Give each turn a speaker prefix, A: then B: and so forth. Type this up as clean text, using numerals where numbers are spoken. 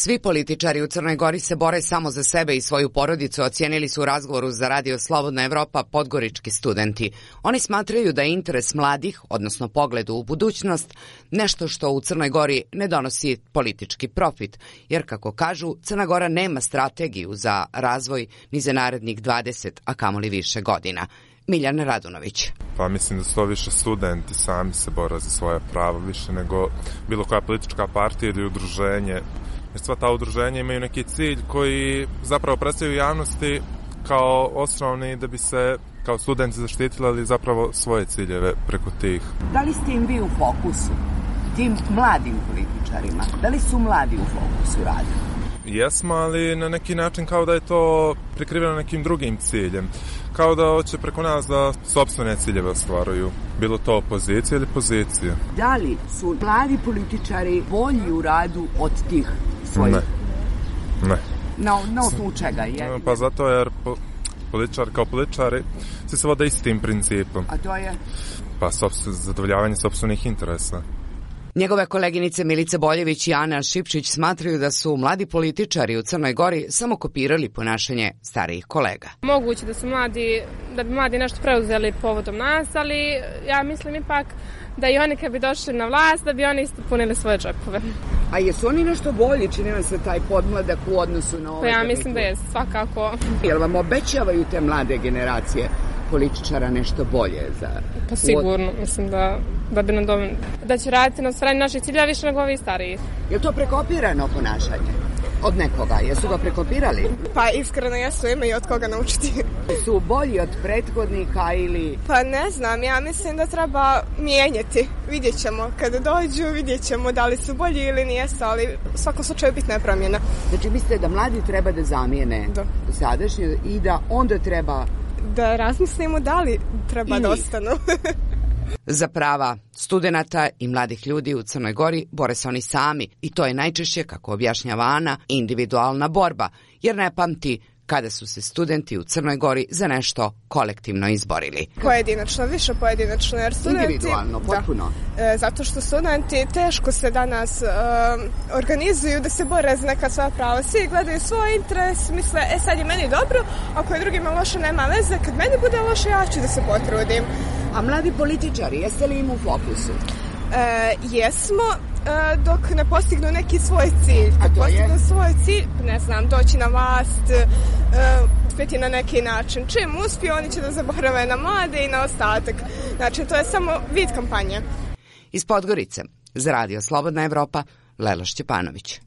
A: Svi političari u Crnoj Gori se bore samo za sebe i svoju porodicu, ocijenili su u razgovoru za Radio Slobodna Evropa podgorički studenti. Oni smatraju da je interes mladih, odnosno pogled u budućnost, nešto što u Crnoj Gori ne donosi politički profit, jer, kako kažu, Crna Gora nema strategiju za razvoj ni za narednih 20, a kamoli više godina. Miljan Radunović.
B: Pa mislim da su to više studenti sami se bore za svoje pravo, više nego bilo koja politička partija ili udruženje. Jer sva ta udruženja imaju neki cilj koji zapravo predstavljaju javnosti kao osnovni da bi se kao studenti zaštitili, ali zapravo svoje ciljeve preko tih.
C: Da li ste im vi u fokusu, tim mladim političarima? Da li su mladi u fokusu rada?
B: Jesmo, ali na neki način kao da je to prikriveno nekim drugim ciljem. Kao da hoće preko nas da sopstvene ciljeve ostvaruju. Bilo to opozicija ili pozicija.
C: Da li su mladi političari bolji u radu od tih svojih?
B: Ne.
C: Na osnovu čega je?
B: Pa zato jer političari kao političari se vode istim principom.
C: A to je?
B: Pa zadovoljavanje sopstvenih interesa.
A: Njegove koleginice Milica Boljević i Ana Šipčić smatraju da su mladi političari u Crnoj Gori samo kopirali ponašanje starijih kolega.
D: Moguće da bi mladi nešto preuzeli povodom nas, ali ja mislim ipak da i oni kad bi došli na vlast, da bi oni isto punili svoje džepove.
C: A jesu oni nešto bolji, čini vam se taj podmladak u odnosu na ove?
D: Pa ja mislim da je svakako.
C: Jel vam obećavaju te mlade generacije političara nešto bolje za...
D: Pa sigurno, mislim da će raditi na ostvarenju naših cilja više nego ovi stariji.
C: Je to prekopirano ponašanje od nekoga? Jesu ga prekopirali?
E: Pa iskreno jesu, imaju od koga naučiti.
C: Su bolji od prethodnika ili...
E: Pa ne znam, ja mislim da treba mijenjati. Vidjet ćemo, kada dođu vidjet ćemo da li su bolji ili nijesu, ali u svakom slučaju bitna je promjena.
C: Znači mislite da mladi treba da zamijene sadašnje i da onda treba...
E: Da razmislimo da li treba da ostanu.
A: Za prava studenata i mladih ljudi u Crnoj Gori bore se oni sami i to je najčešće, kako objašnjava Ana, individualna borba, jer ne pamti kada su se studenti u Crnoj Gori za nešto kolektivno izborili.
E: Pojedinačno, više pojedinačno, jer studenti...
C: Individualno, potpuno.
E: Zato što studenti teško se danas organizuju da se bore za neka svoja prava. Svi gledaju svoj interes, misle, sad je meni dobro, ako je drugima loše, nema veze, kad meni bude loše, ja ću da se potrudim.
C: A mladi političari, jeste li im u fokusu?
E: Jesmo, dok ne postignu neki svoj cilj.
C: A to je?
E: Svoj cilj, ne znam, doći na vlast, uspjeti na neki način. Čim uspiju, oni će da zaborave na mlade i na ostatak. Znači, to je samo vid kampanje.
A: Iz Podgorice, za Radio Slobodna Evropa, Lela Šćepanović.